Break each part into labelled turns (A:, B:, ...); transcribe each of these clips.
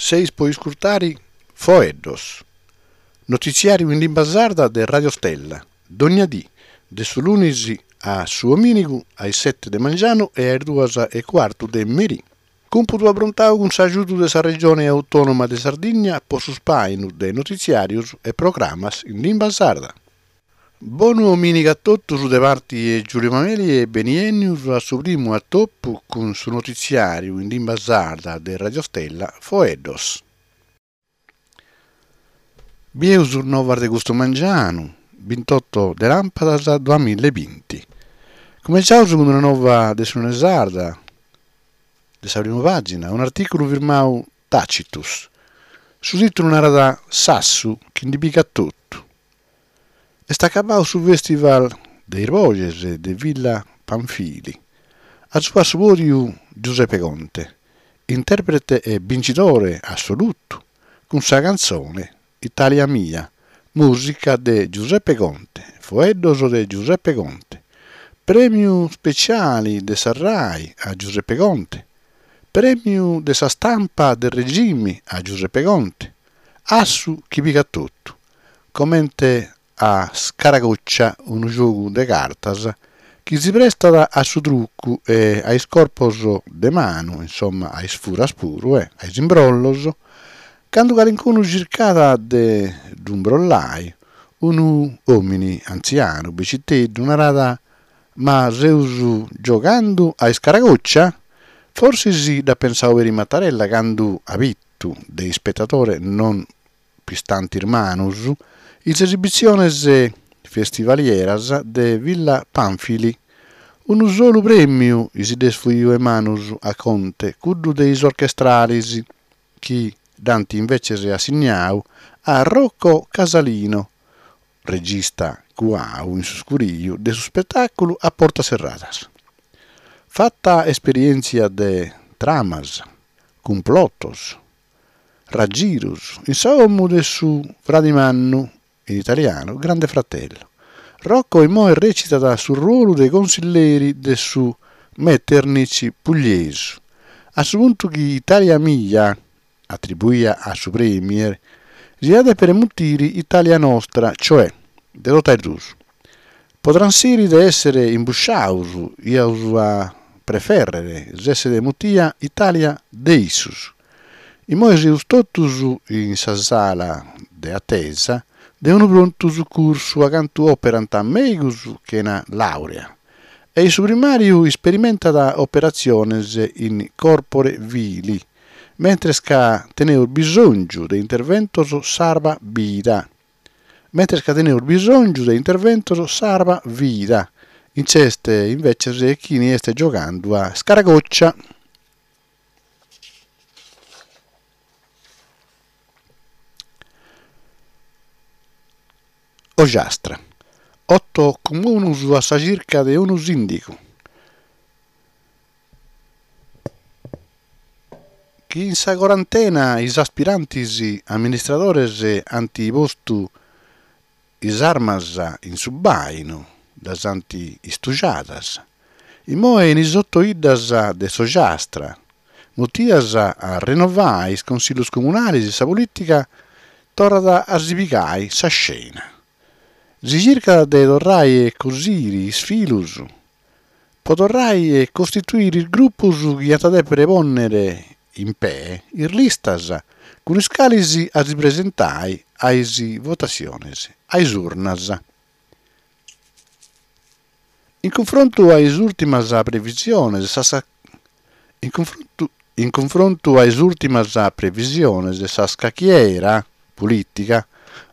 A: Seis po iscurtari Foeddos, notitziàriu in limba sarda de Radio Stella, dogna dì, de su lunis a su omìnigu a is sete de mangianu e a is duas e cuartu de merì. Cumpudu aprontau cun s'agiudu de sa Regione Autònoma de Sardigna po su spàinu de notitziàrios e programas in limba sarda. Bonu omìnigu a totus de parti 'e Giulio Mameli e beniènnius a su primu atopu cun su notitziàriu in limba sarda de Radio Stella Foeddos. Bieus is novas de custu mangianu, bintotto de làmpadas duamilla e binti. Cumenciaus cun una nova de s'Unione Sarda, de sa primu pàgina, un'artìculu firmau Tacitus. Su tìtulu narat S'assu chi ndi pigat totu. Est acabau su festival de is boxes de Villa Pamphili. Asuba su pòdiu Giuseppe Conte, interprete e bincidore assolutu cun sa cantzone Italia mia, mùsica de Giuseppe Conte, foeddos de Giuseppe Conte. Prèmiu speciali de sa Rai a Giuseppe Conte, prèmiu de sa stampa de regimi a Giuseppe Conte, assu chi pigat totu, comente a scaracoccia unu giogu de cartas chi si prestat a su trucu e a is corpos de manu, insomma a is furas puru e a is imbrollos, candu calincunu circat de ddu imbrollai, unu omini antzianu beciteddu narat Ma seus giogandu a iscaracoccia? Forsis dd'at pensau peri Mattarella candu at bitu de ispetadore non pistant is manus is esibitziones festivalieras de Villa Pamphili. Unu solu prèmiu si dd'est fuiu 'e manus a Conte, cuddu de is orchestralis, chi dd'ant inveces assignau a Rocco Casalino, regista cuau in su scuriu de su spetàculu a portas serradas. Fata esperièntzia de tramas, cumplotos, raggirus in sa 'omu de su fradi mannu, in italianu Grande Fratello. Rocco immoe recitat su ruolu de consilleri de su Metternich pugliesu, a su puntu chi Italia mia, atribuia a su premier, si iat a dèpere mutiri Italia nostra, cioè de totu a is duus. Po transiri de èssere imbusciaus iaus a prefèrrere s'èssere mutia Italia de issus. Immoe seus totus in sa sala de atesa de unu prontu sucursu acantu òperant mèigus chena làurea e su primàriu isperimentat operatziones in corpore vili, mentres ca teneus bisòngiu de interventos sarva vida. Mentres ca teneus bisòngiu de interventos sarva vida, nc'est inveces chini est giogandu a scaracoccia. Ogiastra. Oto comunus a sa circa de unu sìndigu. Chi in sa corantena is aspirantis amministradores ant postu is armas in su bàinu, ddas ant istugiadas. Immoe in is oto 'iddas de s'Ogiastra, mutias a rennovai is consillus comunalis, sa polìtica torrat a si pigai sa scena. Si circat de torrai a cosiri is filus po torrai a costituiri is grupus chi ant a dèpere pònnere in pee is listas cun is calis a si presentai a is votatziones a is urnas. In cunfrontu a is ùrtimas previsiones sa In cunfrontu In cunfrontu a is ùrtimas previsiones sa scachiera polìtica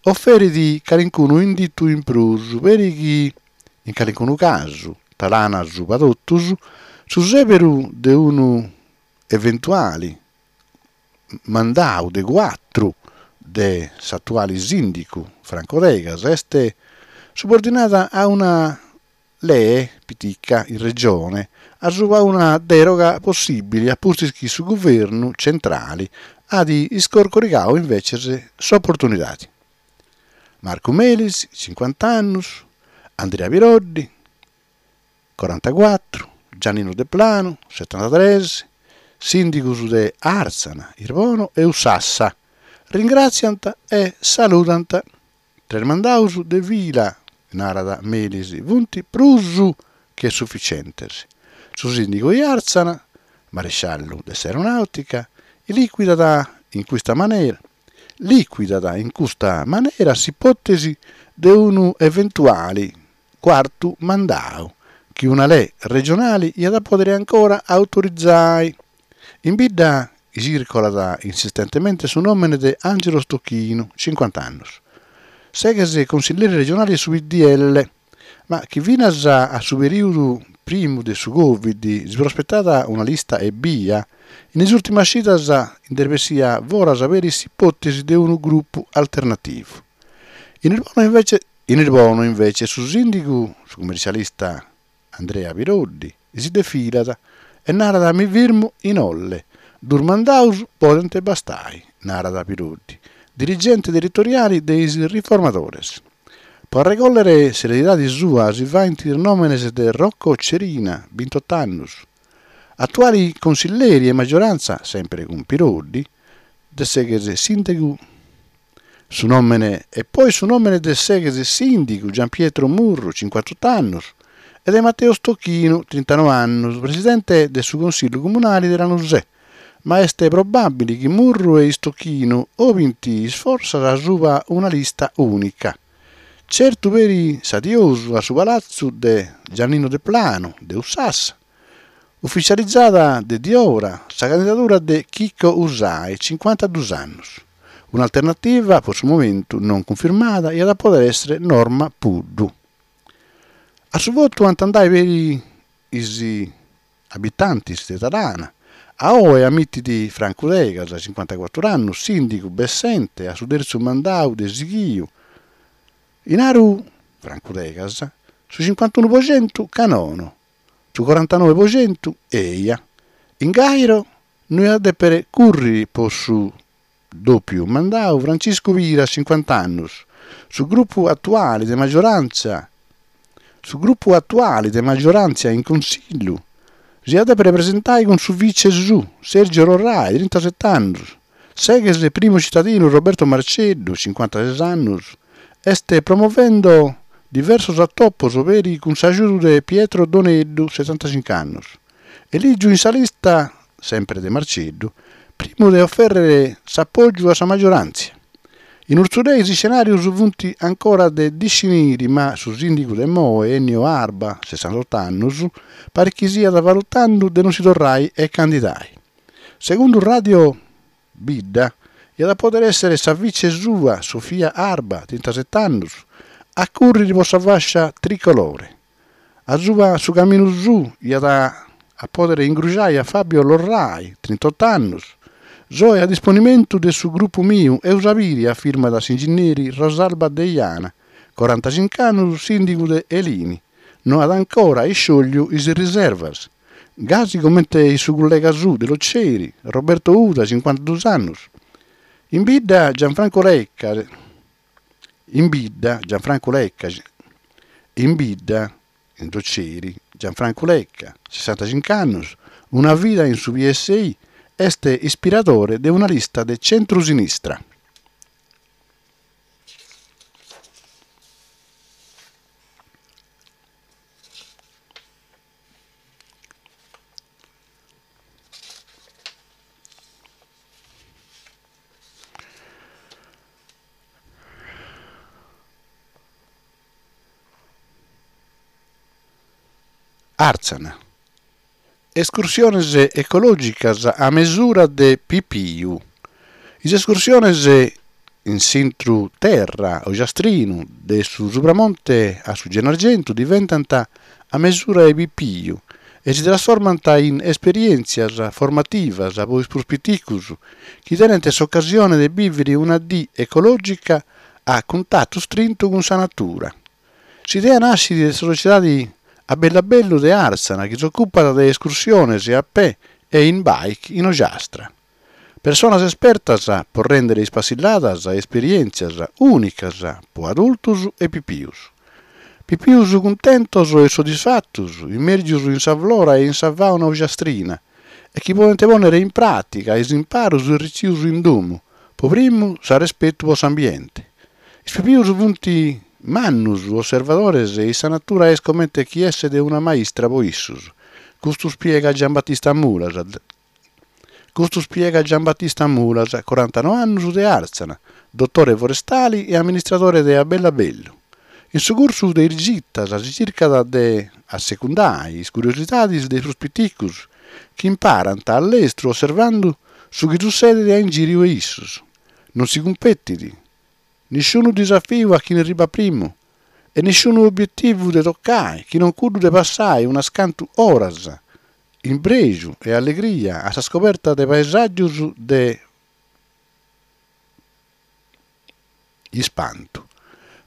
A: oferit calincunu inditu in prus peri chi in calincunu casu, talana suba totus, su sèberu de unu eventuali mandau de cuatru de s'atuali sìndicu Franco Degas est subordinada a una lee pitica in Regione asuba una dèroga possìbili a pustis chi su guvernu centrali at iscorcorigau inveces s'oportunidadi. Marcu Melis, cincuant'annus, Andria Piroddi, corantacuatru, Giannino Deplanu, setantatres, Sìndigos de Àrtzana, Irbono e Ussassa ringràtziant e saludant. Tres mandaus de fila, narat Melis, funt prus che suficientes. Su sìndigu de Àrtzana, maresciallu de s'Aeronàutica, licuidat in custa manera licuidat in custa manera s'ipòtesi de unu eventuali cuartu mandau chi una lei regionali iat a pòdere ancora autorizai. In bidda circolat insistentemente su nòmene de Angelo Stochino, cincuant'annus, s'ex consilleri regionali de su PDL, ma chi finas a su perìodu primu de su Covid si prospetat una lista ebbia, in is ùrtimas cidas nd'est bessia foras peri s'ipòtesi de unu grupu alternativu. In Irbono invece in Irbono invece su sìndigu, su cummercialista Andrea Piroddi, si defilat e narat mi firmu in Olle, dus mandaus podent bastai, narat Piroddi, dirigente territoriali de is Riformadores. Po arregòllere s'eredidade sua si faint is nòmenes de Rocco Cerina, bintot'annus, atuali consilleri 'e maggiorantza, sèmpere cun Piroddi, de s'ex sìndigu su nòmene e poi su nòmene de s'ex sìndigu Giampietro Murru, cincuantot'annus, e de Matteo Stochino, trintano'annus, presidente de su Consillu Comunali de Lanusè. Ma est probàbili chi Murru e Stochino obint is fortzas asuba una lista ùnica. Certu peri s'adiosu a su palatzu de Giannino Deplano de Ussassa, ufitzializada de diora sa candidadura de Chicco Usai, cincuantadus annus. Un'alternativa, po su momentu non cunfirmada, iat a pòdere èssere Norma Puddu. A su votu ant andai peri is abitantis de Talana. A oe amitit Francu Degas, cincuantacuatru annus, sìndigu bessente a su tertzu mandau de sighiu. In Aru, Francu Degas, su cincuantunu po centu ca nono, su corantanoe po centu eja. In Gairo no iat a dèpere cùrriri po su dòpiu mandau Franciscu Piras, cincuant'annus, su grupu atuali de maggioràntzia su grupu atuali de maggioràntzia in Consillu si iat a dèpere presentai cun su vice suu, Sergio Lorrai, trintaset'annus, s'ex primu citadinu Roberto Marceddu, cincuantases annus, est promovendo diversos atopos peri cun s'agiudu de Pietro Doneddu, setantacinc'annus. Elìgiu in sa lista, semper de Marceddu, primu de ofèrrere s'apògiu a sa magioràntzia. In Urzulei is iscenàrios funt ancora de disciniri ma su sìndigu de immoe, Ennio Arba, sessantotto annus, parit chi siat valutando de non si torrai a candidai. Segundu Radio Bidda, iat a pòdere èssere sa vice sua, Sofia Arba, trintasete annus, a cùrriri po sa fàscia tricolore. Asuba su caminu suu iat a pòdere ingruxai a Fabio Lorrai, trintot'annus. Soe a disponimentu de su grupu miu, eus a biri, afirmat s'inginneri Rosalba Deiana, corantacinc'annus, sìndigu de Elini. No at ancora isciògliu is riservas. Gasi comente su cullega suu de Loceri, Roberto Uda, cincuantadus annus. In bidda Gianfranco Lecca, In bidda, Gianfrancu Lecca, In bidda, in Loceri, Gianfrancu Lecca, sessantacinc'annus, una vida in su PSI, est ispiradore de una lista de centrusinistra. Àrtzana. Escursiones ecològicas a mesura de pipiu. Is escursiones in s'intru terra ogiastrinu de su Supramonte a su Gennargentu diventant a mesura 'e pipiu e si trasformant in esperièntzias formativas po is prus piticus chi tenent s'ocasione de bìvere una dì ecològica a cuntatu strintu cun sa natura. S'idea nascit de sa sociedadi A bellu a bellu de Àrtzana chi s'ocupat de escursiones a pè e in bike in Ogiastra. Personas espertas po rèndere is passilladas esperièntzias ùnicas po adultos e pipius. Pipius cuntentos e soddisfatos, immèrgios in sa flora e in sa fàuna ogiastrina. e chi podent pònnere in pràtica is imparos retzius in domu, po primu s'arrespetu po s'ambiente. Is pipius funt mannus osservadores e sa natura est comente chi esset una maistra po issos. Custu spiegat Giambattista Mulas. Custu spiegat Giambattista Mulas, corantanoe annus de Àrtzana, dotore forestali e amministradore de A bellu a bellu. In su cursu de is gitas si circat de assecundai is curiosidadis de is prus piticus, chi imparant a lestru osservandu su chi sussedit a ingìriu 'e issus. Non si cumpetit. Nisciunu disafiu a chini arribat primu e nisciunu obietivu de tocai chi non cuddu de passai unas cantu oras in prexu e allegria a sa scoberta de paesàgius de ispantu,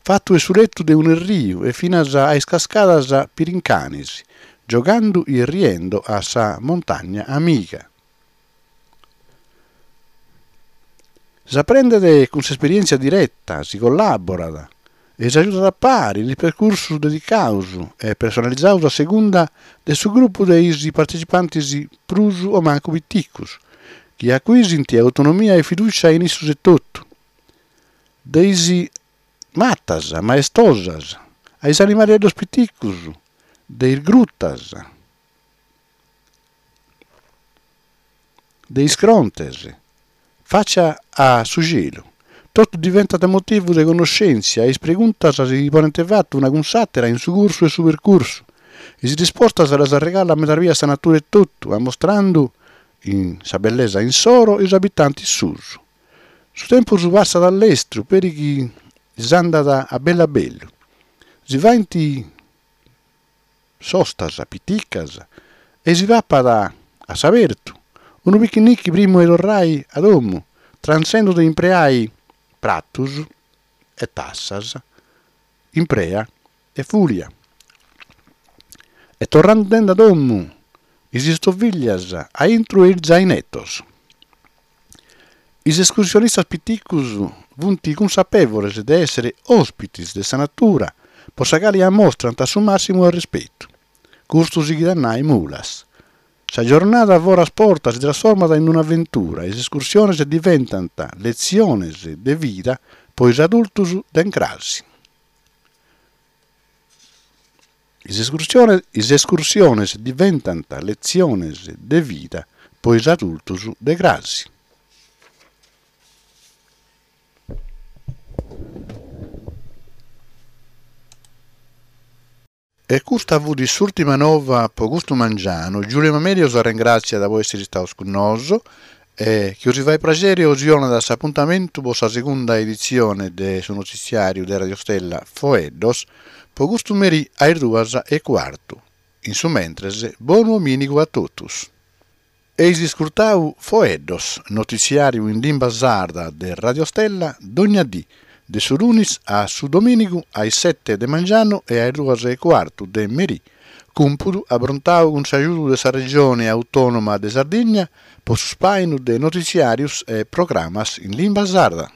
A: fatu 'e su letu de un'erriu e finas a is cascadas Pirincanis, giogandu e riendo a sa montagna amiga. S'aprendet cun s'esperièntzia direta, si collàborat e s'agiudat a pari in is percursus dedicaus e personalizaus a segunda de su grupu de is partecipantis prus o mancu piticus, chi acuisint autonomia e fidùcia in issus etotu. De is matas maestosas a is animaleddos piticus de is grutas, de is crontes, fàcia a su celu. Totu diventat motivu de connoschèntzia e is preguntas si ponent fatu una cun s'àtera in su cursu 'e su percursu. Is rispostas ddas arregallat medas bias sa natura etotu, ammostrandu in sa bellesa insoro is abitantis suus. Su tempus passat a lestru peri chi s'andat a bellu a bellu. Si faint sostas piticas e si papat a s'abertu unu pichinichi primu 'e torrai a domu, transendu de impreai pratus e tassas, imprea e fulia. E torrende a domu is istoviglias a intru 'e is zainetos. Is escursionistas piticus funt cunsapevores de èssere òspites de sa natura po sa cali ammostrant su màssimu arrespetu. Custu sighit a nai Mulas. Sa giornada foras porta si trasformat in un'aventura e is escursiones diventant letziones de vida po is adultus de crasi. Is is escursiones diventant letziones de vida po is adultus de crasi. E custa fut s'ùrtima nova po custu mangianu. Giulio Mamerio s'arrengràtziat po èssiri istaus cun nosu e chi 'osi fait praxeri 'osi 'onat s'apuntamentu po sa segunda editzione de su notitziàriu de Radio Stella Foeddos po custu merì a is duas e cuartu. In su mentres, bonu omìnigu a totus. Eis iscurtau Foeddos, notitziàriu in limba sarda de Radio Stella dogna dì, de su lunis a su domìnigu a is sete de mangianu e a is duas e cuartu de merì. Cumpudu abrontau cun s'agiudu de sa Regione Autònoma de Sardigna po su spàinu de notitziàrius e programas in limba sarda.